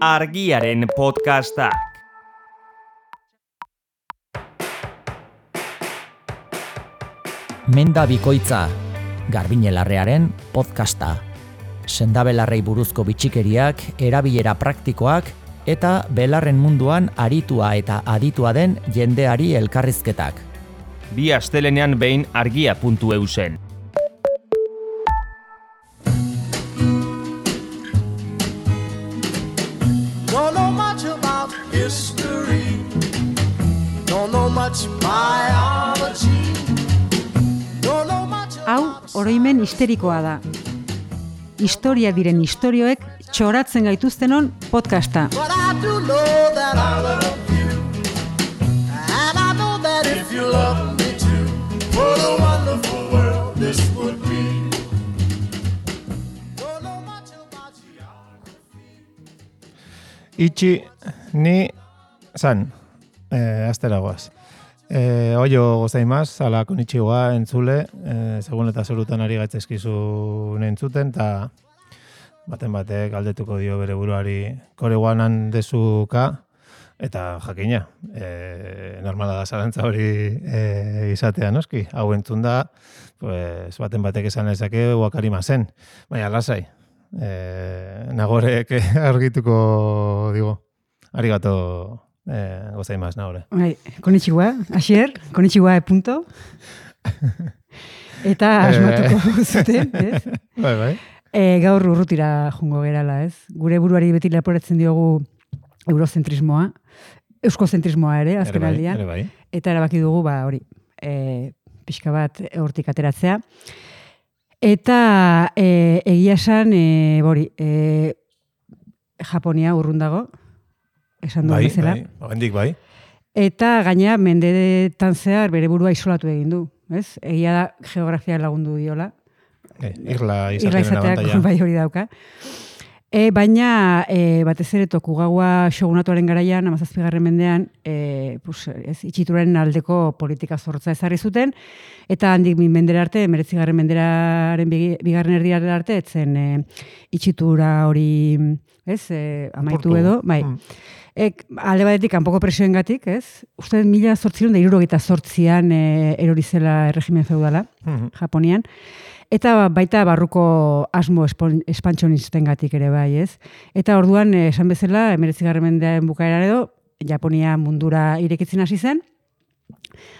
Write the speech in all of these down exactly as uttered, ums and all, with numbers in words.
Argiaren podcastak. Menda bikoitza, Garbiñelarrearen podcasta. Sendabelarrei buruzko bitxikeriak, erabilera praktikoak eta belarren munduan aritua eta aditua den jendeari elkarrizketak. Bi astelenean behin argia puntu e u zen. Don't know much about history. Don't know much biology. Don't know much. Hau, oroimen histerikoa da. Historia diren istorioek txoratzen gaituztenon podcasta. But I do know that I love you. And I know that if you love me too, what a wonderful world this would be. Don't know much about geography. Itxi ni san, eh, asteragoaz. Eh, oio gozaimaz, ala konitxigoa entzule, eh, segun eta zerutan ari gaitzezkizu entzuten, eta baten batek galdetuko dio bere buruari kore guanan dezuka, eta jakina, eh, normala da zalantza hori eh, izatea noski. Hau entzun da, pues, baten batek esan ezake uakarima zen. Baina, lasai, eh, nagorek argituko digo, arigato eh, gozaimaz nagore. Bai, konnichiwa, Asier, konnichiwa e punto. Eta asmatuko zuten, ez? Bai, bai. E, gaur urrutira jongo gerala, ez? Gure buruari beti leporatzen diogu eurozentrismoa, euskozentrismoa ere, azken Ere bai, aldian. ere bai. Eta erabaki dugu, ba, hori, e, pixka bat hortik ateratzea. Eta e, egia esan, e, hori, e, Japonia urrun dago, esan duen Bai, bezala. bai, oraindik bai. Eta gaina mendeetan zehar bere burua isolatu egin du, ez? Egia da geografia lagundu diola. Eh, irla Irla izatearen izateak abantaila. bai hori dauka. E, baina e, batez ere Tokugawa shogunatuaren garaian, hamazazpigarren mendean, e, pues, ez, itxituraren aldeko politika zorrotza ezarri zuten, eta handik mendera arte, hemeretzigarren menderaren bigi- bigarren erdiaren arte, etzen e, itxitura hori, ez, e, amaitu Apurtu. edo, bai. Mm. Ek, alde batetik, kanpoko presioengatik, ez? Uste mila zortziron da hirurogeita zortzian e, erori zela erregimen feudala, Mhm. Japonian. Eta baita barruko asmo espon- espantxonistengatik ere bai, ez? Eta orduan, eh, esan bezala, hemeretzigarren mendean bukaeran edo, Japonia mundura irekitzen hasi zen.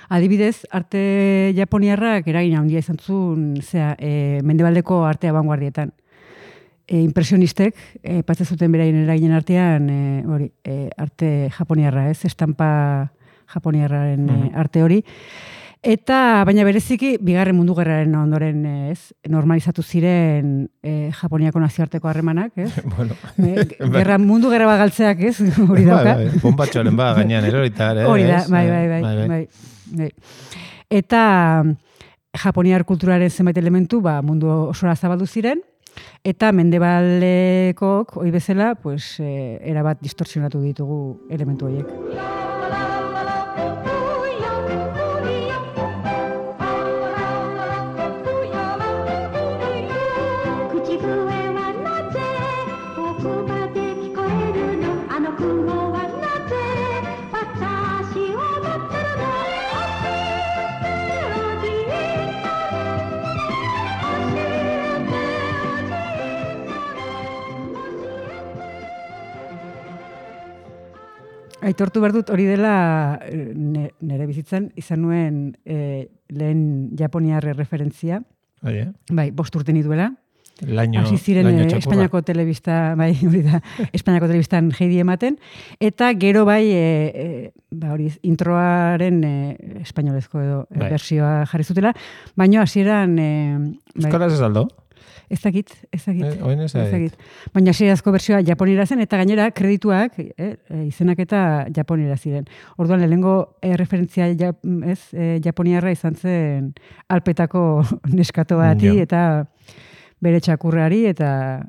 Adibidez, arte japoniarrak eragin handia izan zuen, zera, e, mendebaldeko arte abanguardietan. E, impresionistek, e, patze zuten beraien eraginen artean, e, hori, e, arte japoniarra, ez? Estampa japoniarraren e, arte hori. Eta, baina bereziki, bigarren mundu gerraren ondoren, eh, ez, normalizatu ziren eh, Japoniako nazioarteko harremanak, ez? Bueno. Eh, gerra, mundu gerra bat galtzeak, ez? Hori dauka. Bai, bai, bonbatxoren ba, gainean erorita ere. Hori da, ez? bai, bai, bai, bai, bai, bai. Eta Japoniar kulturaren zenbait elementu, ba, mundu osora zabaldu ziren, eta mendebaldekok, hori bezala, pues, eh, erabat distorsionatu ditugu elementu horiek. Aitortu behar dut hori dela eh, ne- nire bizitzan izan nuen eh, lehen japoniarre referentzia. Bai, eh? Bai, bost urte nituela. Laino, Hasi ziren laino eh, txakurra. Espainiako telebista, bai, hori da, Espainiako telebistan jeidi ematen, eta gero bai, e, e, ba, hori, introaren e, espainolezko edo e, Bai. bersioa jarri zutela, baina hasieran e, bai, Euskaraz ez aldo? ez dakit, ez dakit, Eh, oin ez dakit. baina hasierazko bersioa japonera zen, eta gainera kredituak, e, e, izenak eta japonera ziren. Orduan, lehenengo e, referentzia ja, ez, e, japoniarra izan zen alpetako neskato bati, Ja. eta bere txakurrari eta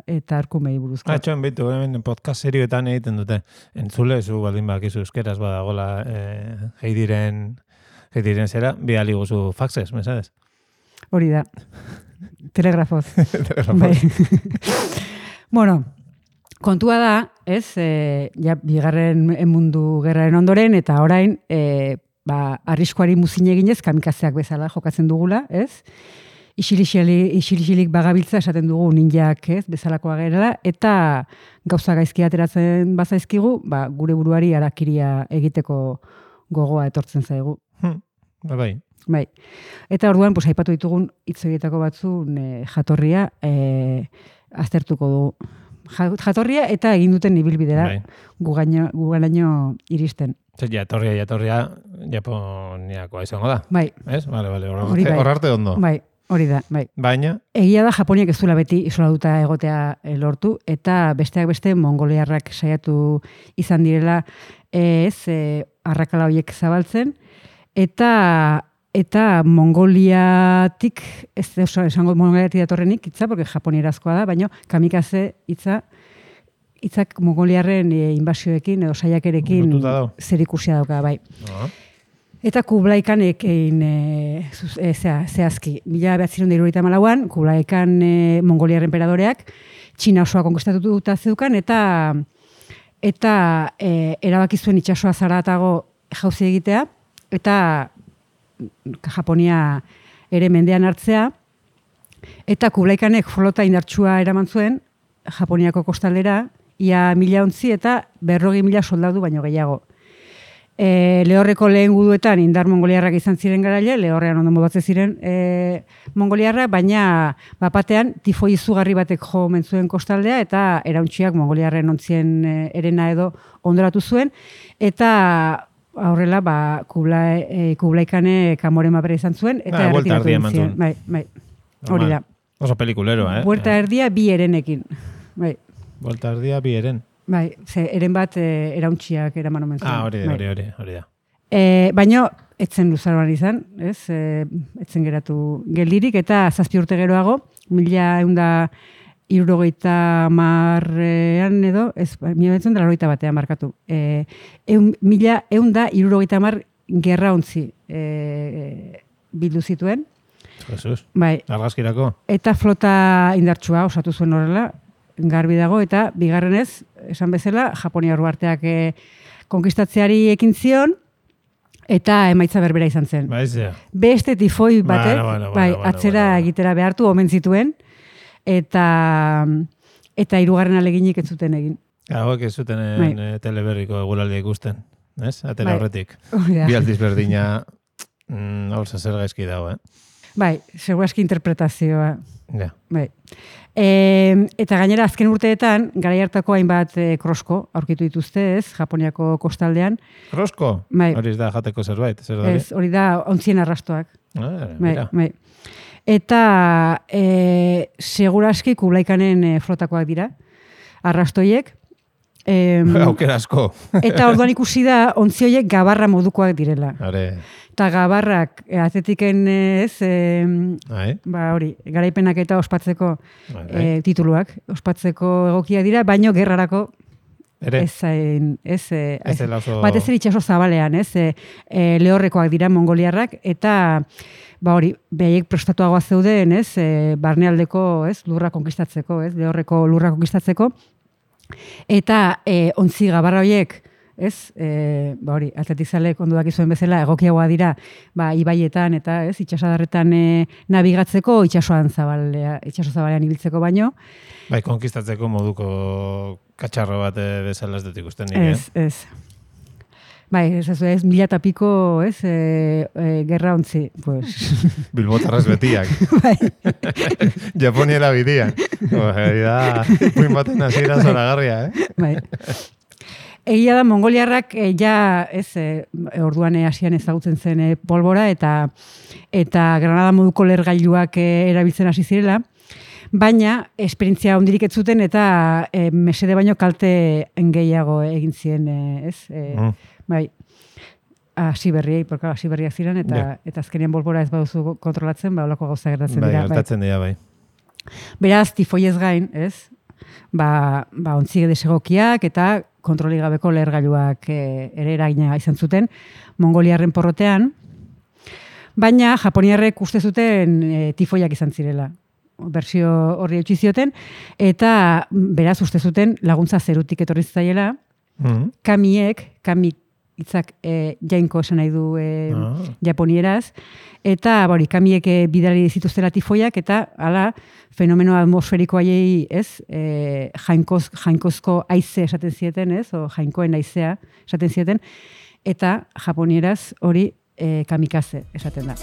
eta arkumei buruzko. Atxoen bitu, hemen podcast serioetan egiten dute. Entzule, zu baldin bakizu euskeraz badagola eh, heidiren, heidiren zera, bidali guzu faxes, mesades? Hori da. Telegrafoz. Telegrafoz. Bai. Bueno, kontua da, ez, e, ja, bigarren mundu gerraren ondoren, eta orain, e, ba, arriskoari muzin eginez, kamikazeak bezala jokatzen dugula, ez? Isilixilik bagabiltza esaten dugu ninjak, ez, bezalakoa gerela, eta gauza gaizki ateratzen bazaizkigu, ba, gure buruari arakiria egiteko gogoa etortzen zaigu. Hmm. Bai. Bai. Eta orduan, pues, aipatu ditugun hitz horietako batzun e, jatorria e, aztertuko dugu. Jatorria eta egin duten ibilbidera Bai. guganaino iristen. Zer, jatorria, jatorria, Japoniakoa izango da. Bai. Ez? Bale, bale, Hori bai. hor arte ondo. Bai, hori da, bai. Baina, Egia da Japoniak ez duela beti isoladuta egotea e, lortu, eta besteak beste mongoliarrak saiatu izan direla e, ez e, arrakala horiek zabaltzen, eta eta Mongoliatik, ez oso esango Mongoliatik datorrenik hitza, porque japonierazkoa da, baina kamikaze hitza hitzak mongoliarren e, inbasioekin edo saiakerekin Lotuta dago. zerikusia dauka, bai. no. Eta Kublai Khanek egin e, zuz- e, zea, zehazki. Mila behatziehun eta hirurogeita hamalauan Kublai Khan e, mongoliar enperadoreak Txina osoa konkistatuta zeukan eta eta e, erabaki zuen itsasoa zaratago jauzi egitea eta Japonia ere mendean hartzea, eta Kublai Khanek flota indartsua eraman zuen Japoniako kostaldera, ia mila ontzi eta berrogi mila soldadu baino gehiago. E, lehorreko lehen guduetan indar mongoliarrak izan ziren garaile, lehorrean ondo modatze ziren e, mongoliarrak, baina bapatean tifoi izugarri batek jo mentzuen kostaldea eta erauntxiak mongoliarren ontzien e, erena edo ondoratu zuen, eta aurrela, ba, Kublai, e, Kublai Khanek Amoren mapera izan zuen, eta Ba, buelta erretiratu erdia egin eman ziren. zuen. Bai, bai, hori da. Oso pelikulero, eh? Buelta erdia bi erenekin. Bai, Buelta erdia bi eren. bai, ze eren bat e, erauntxiak eraman omen zuen. Ah, hori, Bai. hori, hori, hori da. E, baino, etzen luzaroan izan, ez? E, etzen geratu geldirik, eta zazpi urte geroago, mila eunda irurogeita marrean edo, ez, mila betzen da larogeita batean markatu. E, eun, mila eunda irurogeita mar gerra ontzi e, bildu zituen. Jesus. Bai, Argazkirako. eta flota indartsua osatu zuen horrela, garbi dago, eta bigarrenez, esan bezala, Japonia arteak e, konkistatzeari ekin zion, eta emaitza berbera izan zen. Bai, zea. Beste tifoi batek, Bueno, bueno, bueno, bai, bueno, atzera bueno, bueno. egitera behartu omen zituen, eta eta hirugarren aleginik ez zuten egin. Hauek ez zuten Bai. eh, teleberriko eguraldia ikusten. Ez? Atera Bai. horretik. Hori da. Bi aldiz berdina, mm, hor zer gaizki dago, eh? Bai, segurazki interpretazioa. Ja. Bai. E, eta gainera azken urteetan, garai hartako hainbat e, krosko aurkitu dituzte, ez, Japoniako kostaldean. Krosko? Bai. Hori ez da jateko zerbait, zer da? Ez, hori da ontzien arrastoak. Ah, Bai, mira. bai. Eta e, seguraski Kublai Khanen e, flotakoak dira, arrastoiek. E, Aukera asko. eta orduan ikusi da ontzi horiek gabarra modukoak direla. Hore, Eta gabarrak e, atletiken e, ez, e, bai, ba hori, garaipenak eta ospatzeko bai. e, tituluak, ospatzeko egokia dira, baino gerrarako Ere, ez zain, ez, e, ez dela oso... batez ere itxaso zabalean, ez, e, e, lehorrekoak dira mongoliarrak, eta ba hori, behaiek prestatuagoa zeuden, ez, e, barnealdeko, ez, lurra konkistatzeko, ez, lehorreko lurra konkistatzeko, eta e, ontzi gabarra horiek, ez, e, ba hori, atletizalek ondo dakizuen bezala egokiagoa dira, ba, ibaietan eta, ez, itxasadarretan e, nabigatzeko, itxasoan zabalea, itxaso zabalean ibiltzeko baino. Bai, konkistatzeko moduko katxarro bat eh, bezala ez dut ikusten nik, Ez, ez. Bai, ez, ez, ez mila eta piko, ez, e, e, gerra ontzi, pues. eh? Bilbotarraz betiak. Bai, Japoniera bidian. Hori da, puin baten hasiera zoragarria, eh? bai. Egia da, mongoliarrak e, ja, ez, e, orduan e, hasian ezagutzen zen e, polbora eta eta granada moduko lergailuak e, erabiltzen hasi zirela, baina esperientzia hondirik ez zuten eta e, mesede baino kalte gehiago egin zien, e, ez? E, Mm. Bai, hasi berriei, porque hasi berriak ziren, eta, Ja. eta azkenean bolbora ez baduzu kontrolatzen, ba, olako gauza gertatzen Bai, dira. Bai. gertatzen dira, bai. Beraz, tifoiez gain, ez? Ba, ba ontzi desegokiak eta kontroli gabeko lehergailuak e, ere eragina izan zuten mongoliarren porrotean, baina japoniarrek uste zuten e, tifoiak izan zirela. bersio horri eutxi zioten, eta beraz uste zuten laguntza zerutik etorri zitzaiela, Mm. kamiek, kamik hitzak e, jainko esan nahi du e, Ah. japonieraz, eta bori, kamiek e, bidali zituztela tifoiak, eta hala fenomeno atmosferiko haiei, ez, e, jainkoz, jainkozko haize esaten zieten, ez, o jainkoen haizea esaten zieten, eta japonieraz hori e, kamikaze esaten da.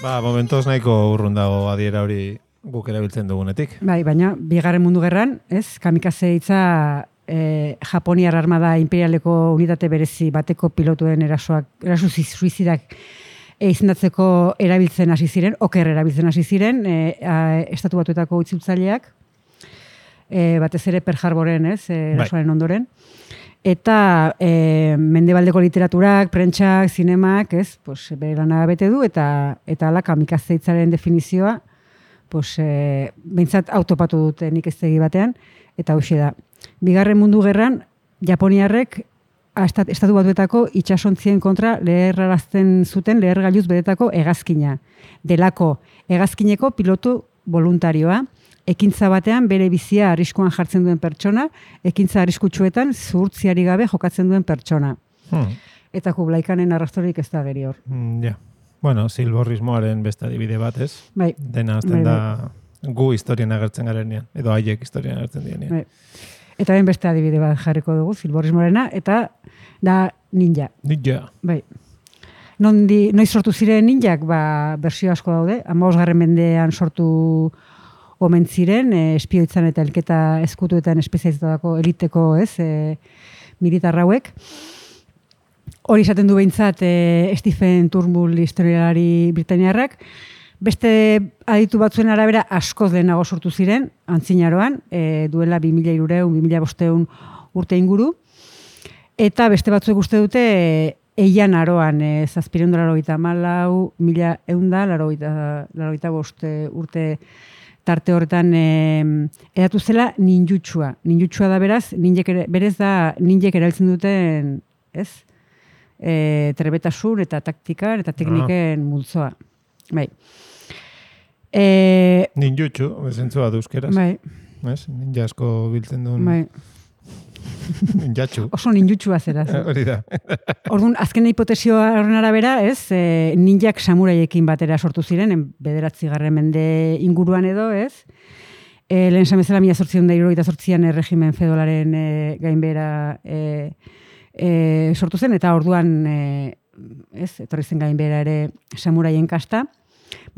Ba, momentoz nahiko urrun dago adiera hori guk erabiltzen dugunetik. Bai, baina bigarren mundu gerran, ez, kamikaze hitza e, Japoniar armada imperialeko unitate berezi bateko pilotuen erasoak, eraso suizidak e, izendatzeko erabiltzen hasi ziren, oker erabiltzen hasi ziren, e, a, estatu batuetako itzitzaileak, e, batez ere Pearl Harboren, ez, e, erasoaren ondoren. Eta e, mendebaldeko literaturak, prentsak, zinemak, ez, pues, bere lana bete du, eta eta ala kamikaze hitzaren definizioa, pues, e, behintzat autopatu dute nik ez tegi batean, eta hoxe da. Bigarren mundu gerran, Japoniarrek estat, estatu batuetako itsasontzien kontra leherrarazten zuten lehergailuz bedetako hegazkina. Delako hegazkineko pilotu voluntarioa, ekintza batean bere bizia arriskuan jartzen duen pertsona, ekintza arriskutsuetan zuhurtziari gabe jokatzen duen pertsona. Hmm. Eta Kublaikanen arrastorik ez da geri hor. Mm, ja. Bueno, silborrismoaren beste adibide bat, ez? Bai. Dena azten Bai, da gu historian agertzen garenean, edo haiek historian agertzen direnean. Bai. Eta ben beste adibide bat jarriko dugu, silborrismorena, eta da ninja. Ninja. Bai. Nondi, noiz sortu ziren ninjak, ba, bersio asko daude, hamabosgarren mendean sortu omen ziren, e, espioitzan eta elketa eskutuetan espezializatutako eliteko, ez, e, militar hauek. Hori esaten du behintzat e, Stephen Turnbull historialari britaniarrak. Beste aditu batzuen arabera askoz lehenago sortu ziren, antzinaroan, e, duela bi mila hirurehun, bi mila bostehun urte inguru. Eta beste batzuek uste dute e, eian aroan, e, zazpireun da larogeita hamalau, mila eunda, larogeita bost urte tarte horretan e, edatu zela ninjutsua. Ninjutsua da beraz, ninjek ere, berez da ninjek erabiltzen duten, ez? E, trebetasun eta taktikan eta tekniken ah. multzoa. Bai. E, Ninjutsu, bezentzua duzkeraz. bai. Ez? Ninja asko biltzen duen. Bai. Ninjatxu. Oso ninjutsua zeraz. Hori da. Orduan, azken hipotesioa horren arabera, ez, e, ninjak samuraiekin batera sortu ziren, en bederatzi garren mende inguruan edo, ez? E, lehen samezela mila zortzion da hirurogeita zortzian erregimen fedolaren e, gainbera e, e, sortu zen, eta orduan, e, ez, etorri zen gainbera ere samuraien kasta.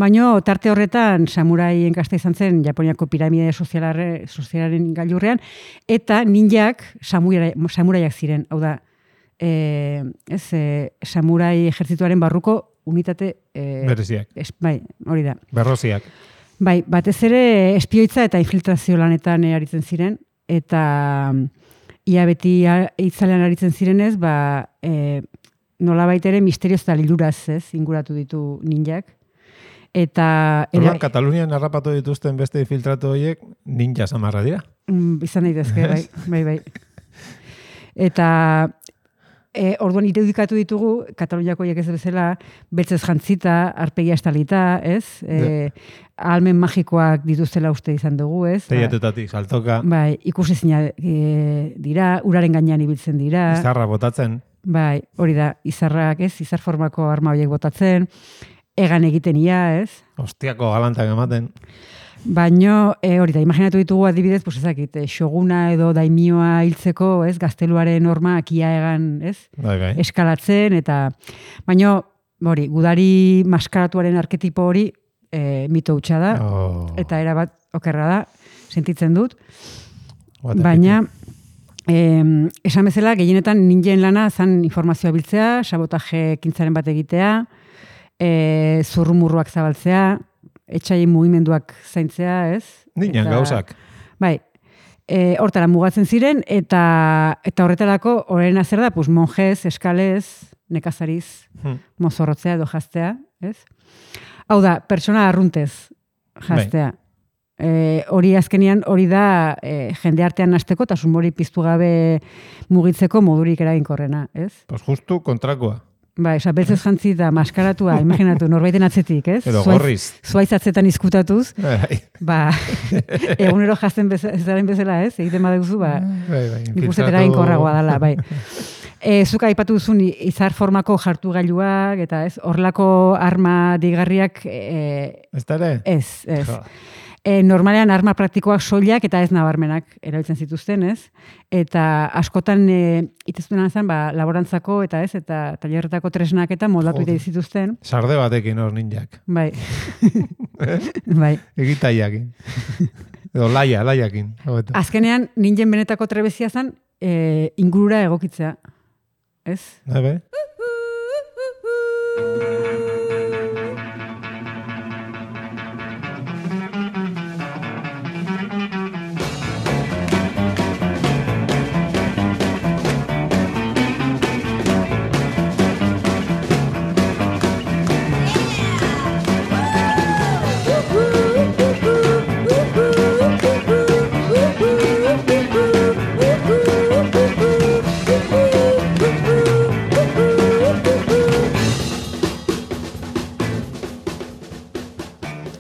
Baina tarte horretan samuraien kasta izan zen Japoniako piramide sozialaren gailurrean, eta ninjak samurai, samuraiak ziren. Hau da, e, ez, e, samurai ejertzituaren barruko unitate... E, Bereziak. Es, bai, hori da. Berroziak. Bai, batez ere espioitza eta infiltrazio lanetan e, aritzen ziren, eta ia beti itzalean aritzen zirenez, ba, e, nolabait ere misterioz eta liluraz, ez, inguratu ditu ninjak. Eta... Orduan, Katalunian harrapatu dituzten beste filtratu horiek ninja samarra dira. Mm, izan daitezke, bai, bai, bai. Eta e, orduan irudikatu ditugu, Kataluniako horiek ez bezala, beltzez jantzita, arpegia estalita, ez? E, almen magikoak dituztela uste izan dugu, ez? Teiatetatik, saltoka. Bai, ikusezina e, dira, uraren gainean ibiltzen dira. Izarra botatzen. Bai, hori da, izarrak, ez? Izar formako arma horiek botatzen. Egan egiten ia, ez? Ostiako galantak ematen. Baino, e, hori da, imaginatu ditugu adibidez, pues ezakit, xoguna edo daimioa hiltzeko, ez? Gazteluaren normak ia egan, ez? Bai, bai. Eskalatzen, eta... Baino, hori, gudari maskaratuaren arketipo hori e, mito hutsa da, Oh. eta erabat okerra da, sentitzen dut. What a Baina, eh, esan bezala, gehienetan ninjen lana zan informazioa biltzea, sabotaje ekintzaren bat egitea, E, zurrumurruak zabaltzea, etxaien mugimenduak zaintzea, ez? Ninan Eta, gauzak. Bai, e, hortara mugatzen ziren, eta eta horretarako horrena zer da, pues, monjez, eskalez, nekazariz, Hmm. mozorrotzea edo jaztea, ez? Hau da, pertsona arruntez jaztea. E, hori azkenian, hori da e, jende artean hasteko eta sumori piztu gabe mugitzeko modurik eraginkorrena, ez? Pues justu kontrakoa. Bai, oza, beltzez jantzi da maskaratua, imaginatu, norbaiten atzetik, ez? Edo Zuaiz- gorriz. Zuaiz atzetan izkutatuz, Bai, ba, egunero jazten beza, ez daren bezala, ez? Egiten baduzu, ba, bai, bai. nik uste infiltratu- eraginkorragoa dela, bai. E, zuk aipatu duzun izar formako jartu gailuak, eta ez, horrelako arma digarriak, e, Ez da ere? ez, ez. Jo. E, normalean arma praktikoak soilak eta ez nabarmenak erabiltzen zituzten, ez? Eta askotan e, iteztuena zen, ba, laborantzako eta ez, eta tailerretako tresnak eta moldatu Joder. ite zituzten. Sarde batekin hor ninjak. Bai. Bai. Egitaiakin. Edo laia, laiakin. hobeto. Azkenean, ninjen benetako trebezia zen, e, ingurura egokitzea. Ez? Bai, bai.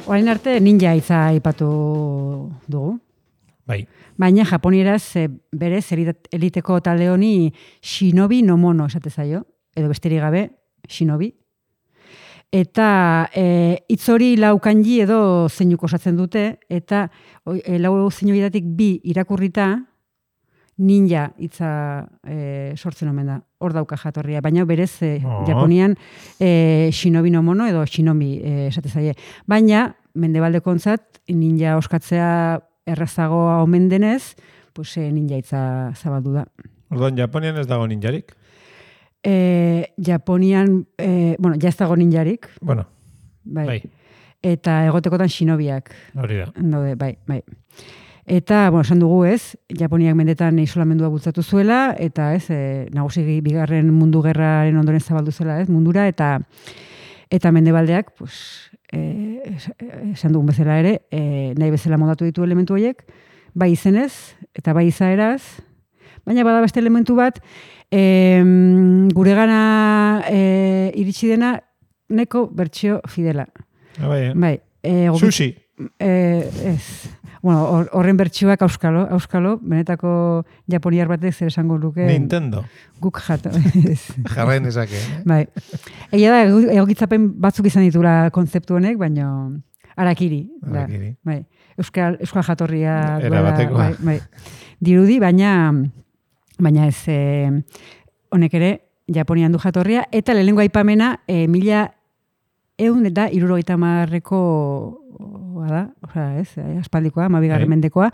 Orain arte ninja hitza aipatu dugu. Bai. Baina japonieraz e, berez elit- eliteko talde honi shinobi no mono esate zaio, edo besterik gabe shinobi. Eta e, hitz hori lau kanji edo zeinuko osatzen dute, eta oi- e, lau zeinu horietatik bi irakurrita ninja hitza e, sortzen omen da. Hor dauka jatorria, baina berez e, Oh. Japonian e, shinobi no mono edo shinobi e, esate zaie. Baina mendebaldekontzat ninja oskatzea errazagoa omen denez, pues, e, ninja hitza zabaldu da. Orduan, Japonian ez dago ninjarik. E, Japonian, e, bueno, ja ez dago ninjarik, Bueno, bai. bai, Eta egotekotan shinobiak hori da. daude, bai, bai. Eta, bueno, esan dugu ez, Japoniak mendetan isolamendua bultzatu zuela, eta ez, e, nagusi bigarren mundu gerraren ondoren zabaldu zela, ez, mundura, eta eta mendebaldeak, pues, e, esan dugun bezala ere, e, nahi bezala modatu ditu elementu horiek, bai izenez, eta bai izaeraz, baina bada beste elementu bat, e, guregana e, iritsi dena, neko bertsio fidela. Ah, bai, eh? Bai, e, gobi- Sushi. Eh, ez. Bueno, hor- horren bertsioak auskalo, auskalo, benetako japoniar batek zer esango luke. Nintendo. Guk jato. Ez. Jarrain ezake. Eh? Bai. Egia da, egu- egokitzapen batzuk izan ditula kontzeptu honek, baina arakiri. da. Arakiri. Bai. Euskal, euskal jatorria Era duela, batekoa. bai, bai. Dirudi, baina baina ez eh, honek ere Japonian du jatorria, eta lehenengo aipamena e, mila eun eta hirurogeita hamarreko da, osea, ez, eh, aspaldikoa, hamabigarren Bai. mendekoa,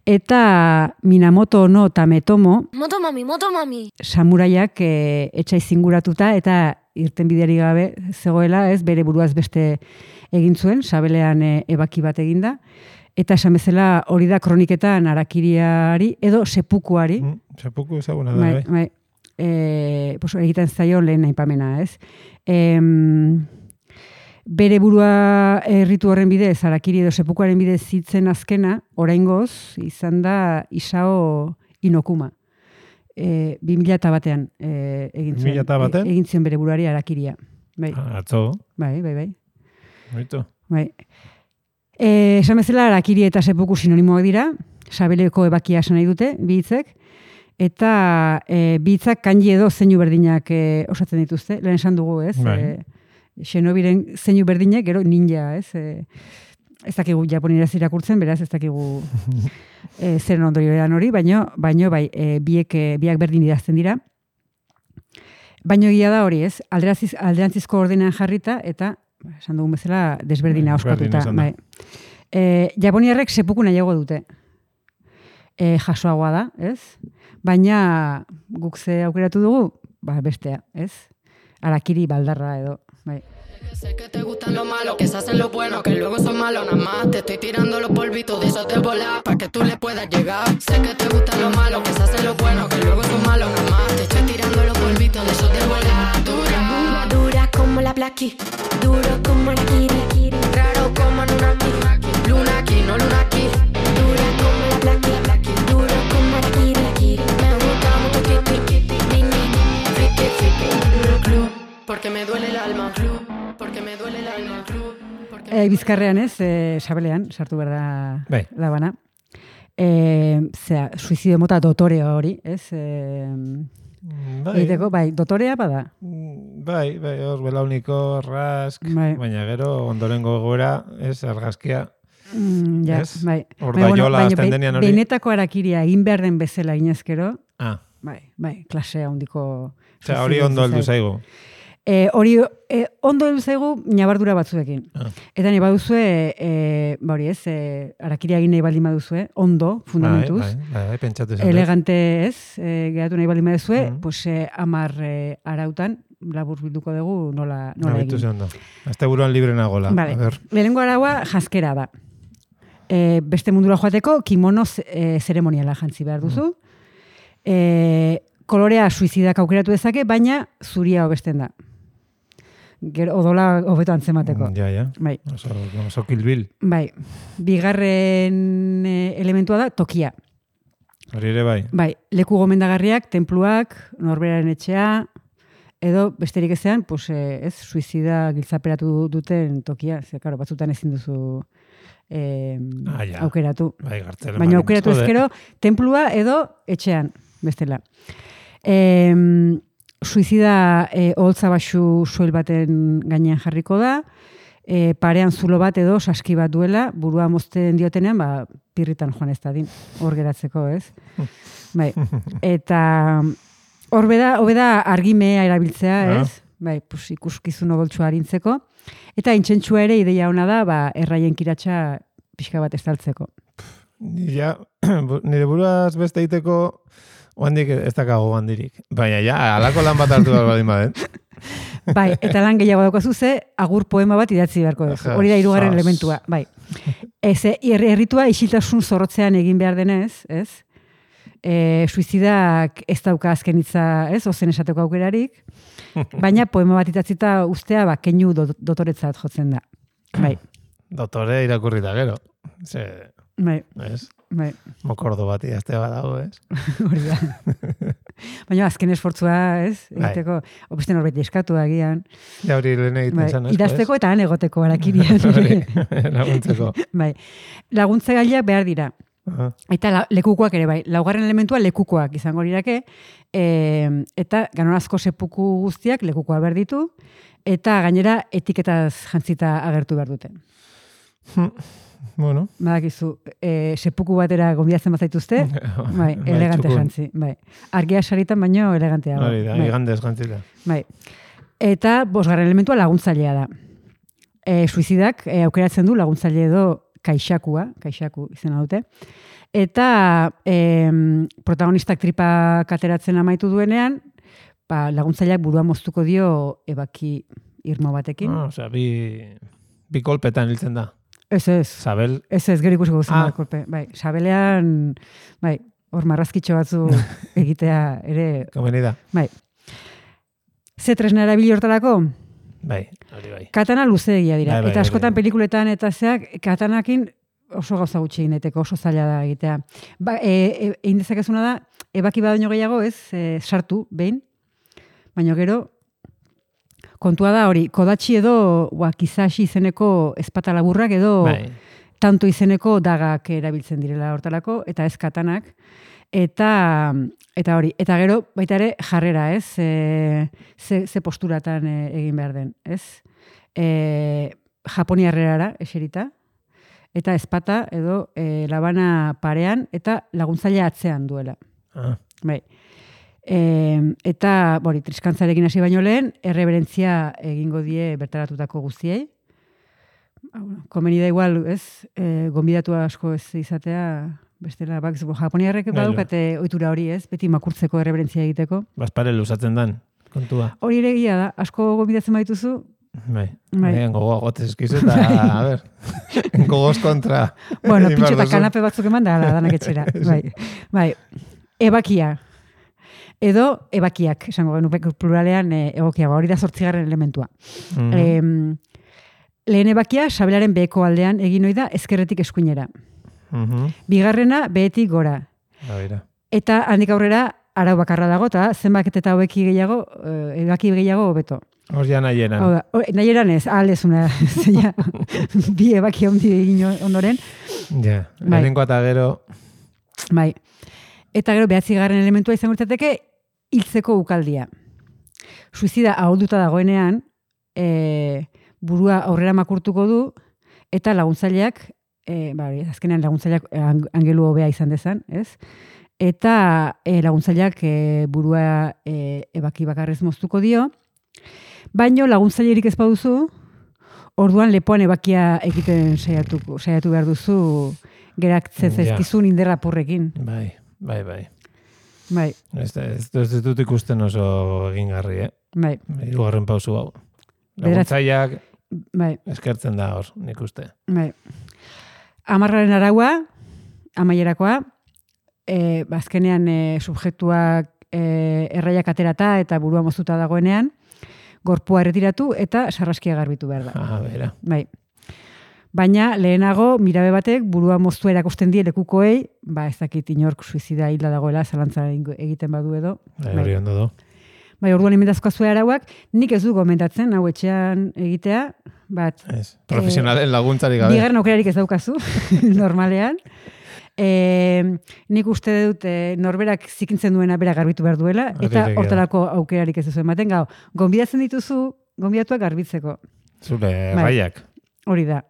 eta Minamoto no Tametomo Motomami, motomami. samuraiak e, etxai zinguratuta eta irten bideari gabe zegoela, ez, bere buruaz beste egin zuen, sabelean e, ebaki bat eginda, eta esan bezala hori da kroniketan arakiriari edo sepukuari, Mm, Sepuku ezaguna da, bai, bai. bai, e, pues, egiten zaio lehen aipamena, ez. Em, bere burua erritu horren bidez, arakiri edo sepukuaren bidez zitzen azkena, oraingoz, izan da Isao Inokuma. E, bi mila eta batean e, egin bi mila eta batean? e- egin zion bere buruari arakiria. Bai, Ah, Atzo, bai, bai, bai. baitu. bai. E, esan bezala, arakiri eta sepuku sinonimoak dira, sabeleko ebakia esan nahi dute, bi hitzek, eta e, bi hitzak kanji edo zeinu berdinak e, osatzen dituzte, lehen esan dugu, ez? Bai. E, Xenobiren zeinu berdinak, gero ninja, ez? E, ez dakigu japonieraz irakurtzen, beraz ez dakigu e, zeren ondorioan hori, baino, baino bai, e, biek, e, biak berdin idazten dira. Baino egia da hori, ez? Alderantziz, alderantzizko ordenean jarrita, eta, esan dugun bezala, desberdina Bai, berdin oskatuta. izan da. Bai. E, japoniarrek sepuku nahiago dute. E, jasoagoa da, ez? Baina guk ze aukeratu dugu, ba, bestea, ez? Arakiri baldarra edo, bai. Sé que te gustan los malos, que se hacen los buenos, que luego son malos nada más. Te estoy tirando los polvitos de esos de volar, pa' que tú le puedas llegar. Sé que te gustan los malos, que se hacen los buenos, que luego son malos nada más. Te estoy tirando los polvitos de esos de volar. Dura, Dura como la Blackie, duro como la Kiri, raro como Nunaki. Luna aquí, no luna aquí. dura como la Blackie, duro como la Kiri, Me gusta mucho Kitty, Kitty, Nini, Friki, Friki. Club, porque me duele el alma. Club, porque me duele el alma. Club, porque E, bizkarrean ez, e, sabelean, sartu behar da Bai. labana. E, zera, suizidio mota dotorea hori, ez? E, Bai, egiteko, bai, dotorea bada. bai, bai, hor belauniko, rask, Bai. baina gero ondorengo gora, ez, argazkia. Mm, ja, Ez? bai. Hor Bai, da jola baina hasten behin- denean hori. Behinetako arakiria egin behar den bezala inezkero, Ah, bai, bai, klasea handiko... osea, hori ondo heldu zaigu. E, hori e, ondo heldu zaigu nabardura batzuekin. Ah. Eta nahi baduzue, e, ba hori ez, e, arakiria egin nahi baldin baduzue, ondo, fundamentuz, Bai, bai, bai, pentsatu izan dut. elegante ez, e, geratu nahi baldin baduzue, Mhm. pues, e, amar e, arautan, labur bilduko dugu nola, nola Nabitu egin. ze ondo. Azte buruan libre nagola. Vale. A ber. Lehenengo araua jaskera da. E, beste mundura joateko kimono e, zeremoniala jantzi behar duzu. E, kolorea suizidak aukeratu dezake, baina zuria hobesten da. Gero odola hobeto antzemateko. Ja, ja. Bai, Oso, oso kilbil. bai. Bigarren e, elementua da tokia. Hori ere bai. Bai, leku gomendagarriak, tenpluak, norberaren etxea, edo besterik ezean, pues, eh, ez, suizida giltzaperatu duten tokia. Ze, karo, batzutan ezin duzu eh, Ah, ja. aukeratu. Bai, gartzelen. Baina baldin aukeratu bazaude. ezkero, tenplua edo etxean, bestela. E, suizida e, oholtza baxu soil baten gainean jarriko da, e, parean zulo bat edo saski bat duela, burua mozten diotenean, ba, pirritan joan ez dadin, hor geratzeko, ez? Bai, eta hor beda, hobeda argimea erabiltzea, Ah. ez? Bai, pues, ikuskizun odoltsua arintzeko. Eta intsentsua ere ideia ona da, ba, erraien kiratsa pixka bat estaltzeko. Ja, bu- nire buruaz beste egiteko oandik ez dakago handirik. Baina ja, alako lan bat hartu behar baldin baden. Bai, eta lan gehiago daukazu ze agur poema bat idatzi beharko duzu. Ajá, Hori da hirugarren sas. elementua, bai. Ez, herritua isiltasun zorrotzean egin behar denez, ez? E, suizidak ez dauka azken hitza, ez? Ozen esateko aukerarik, baina poema bat idatzita ustea, ba, keinu do, dotoretzat jotzen da. Bai, Dotore irakurri da gero. Ze, bai, ez? bai, Mokordo bat idazte badago, ez? hori da. Baina azken esfortzua, ez? Bai. Egiteko, obeste norbait eskatu agian. Ja hori lehen egiten Bai, zen, asko, idazteko eta han egoteko arakirian. Hori, laguntzeko. Bai, laguntze gaileak behar dira. Aha. Eta la, lekukoak ere bai. Laugarren elementua lekukoak izango lirake, e, eta ganorazko sepuku guztiak lekukoa behar ditu, eta gainera etiketaz jantzita agertu behar duten. Bueno. Badakizu, e, sepuku batera gonbidatzen bazaituzte, bai, elegante txukun. jantzi. Bai. Argia saritan baino elegantea. Hori da, bai. igandez gantzita. Bai. Eta bosgarren elementua laguntzailea da. E, suizidak e, aukeratzen du laguntzaile edo kaixakua, kaixaku izena dute. Eta e, protagonistak tripa kateratzen amaitu duenean, ba, laguntzaileak burua moztuko dio ebaki irmo batekin. Ah, osea, bi, bi kolpetan hiltzen da. Ez ez, Zabel, ez ez, gero ikusiko guzen Ah. kolpe. Bai, sabelean, bai, hor marrazkitxo batzu egitea ere, komeni da. bai. Ze tresna erabili hortarako? Bai, hori bai. Katana luzeegia dira. Bai, bai, eta askotan hori. pelikuletan eta zeak, katanakin oso gauza gutxi egin daiteke, oso zaila da egitea. Ba, e, e, egin dezakezuna da, ebaki badaino gehiago ez, e, sartu, behin, baina gero, kontua da hori, kodatxi edo, ua, kizashi izeneko ezpata laburrak edo, Bai. tanto izeneko dagak erabiltzen direla hortalako, eta ez katanak. Eta, eta hori, eta gero, baita ere, jarrera, ez? E, ze, ze posturatan e, egin behar den, ez? E, Japoniarrerara eserita, eta ezpata edo e, labana parean, eta laguntzaile atzean duela. Ah, Bai. E, eta, bori, triskantzarekin hasi baino lehen, erreberentzia egingo die bertaratutako guztiei. Ah, bueno, komeni da igual, ez? E, gonbidatu asko ez izatea, bestela, bak, japoniarrek Bai, badukate ohitura hori, ez? Beti makurtzeko erreberentzia egiteko. Bazpare luzatzen dan, kontua. Hori ere egia da, asko gonbidatzen badituzu, Bai, Bai. bai. Gogoa gotez eskizu eta, a ber, gogoz kontra. Bueno, egin pitxo behar eta duzu. kanape batzuk eman da, ala, danak etxera. Bai, bai. Ebakia. Edo ebakiak, esango genuke pluralean e, egokiago. Hori da zortzigarren elementua. Mhm. Em, lehen ebakia, sabelaren beheko aldean egin ohi da ezkerretik eskuinera. Mhm. Bigarrena, behetik gora. Ba, bera. Eta handik aurrera, arau bakarra dago, eta zenbait eta hobeki gehiago, eh, ebaki gehiago hobeto. Hor ja nahieran. Hau da, hor- nahi eran ez, ahal ezuna, zeina, bi ebaki handi egin ondoren, Ja, Bai. lehenenkoa eta gero, bai. Eta gero behatzigarren elementua izango litzateke hiltzeko ukaldia. Suizida ahulduta dagoenean, e, burua aurrera makurtuko du, eta laguntzaileak, e, ba, hori, azkenean laguntzaileak ang- angelu hobea izan dezan, ez? Eta e, laguntzaileak e, burua e, ebaki bakarrez moztuko dio, baino laguntzailerik ez baduzu, orduan lepoan ebakia egiten saiatu, saiatu behar duzu geratzen Ja. zaizkizun inderrapurrekin. bai, bai, bai. Bai, Ez, ez, ez dut ikusten oso egingarri, eh? bai, Hirugarren pausu hau. Bederatzi- Laguntzaileak bai, eskertzen da hor, nik uste. bai. Amarraren araua, amaierakoa, e, azkenean e, subjektuak e, erraiak aterata eta burua moztuta dagoenean, gorpua erretiratu eta sarraskia garbitu behar da. Ah, bera. Bai. Baina lehenago mirabe batek burua moztua erakusten die lekukoei, ba ez dakit inork suizida hilda dagoela zalantza egiten badu edo. Bai, hori ondo du. Bai, orduan emendazkoa zuen arauak, nik ez du gomendatzen hau etxean egitea, bat Ez. Profesionalen laguntzarik gabe. bigarren aukerarik ez daukazu, normalean. E, nik uste dut e, norberak zikintzen duena bera garbitu behar duela, Hori eta egia da. hortarako aukerarik ez duzu ematen. Gau, gonbidatzen dituzu, gonbidatuak garbitzeko. Zure Bai. raiak. Hori da.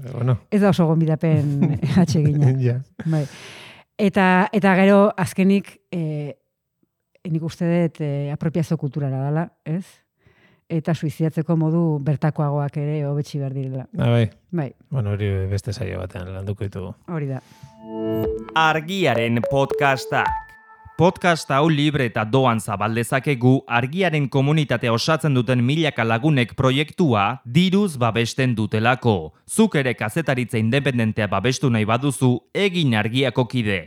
Bueno, Ez da oso gonbidapen atsegina. ja. Bai. Eta, eta gero azkenik e, nik uste dut e, apropiazio kulturala dela, ez? Eta suizidatzeko modu bertakoagoak ere hobetsi behar direla. Ah, bai. Bai, Bueno, hori beste saio batean landuko ditugu. hori da. Argiaren podcastak. Podcast hau libre eta doan zabaldezakegu argiaren komunitatea osatzen duten milaka lagunek proiektua diruz babesten dutelako. Zuk ere kazetaritza independentea babestu nahi baduzu, egin argiako kide.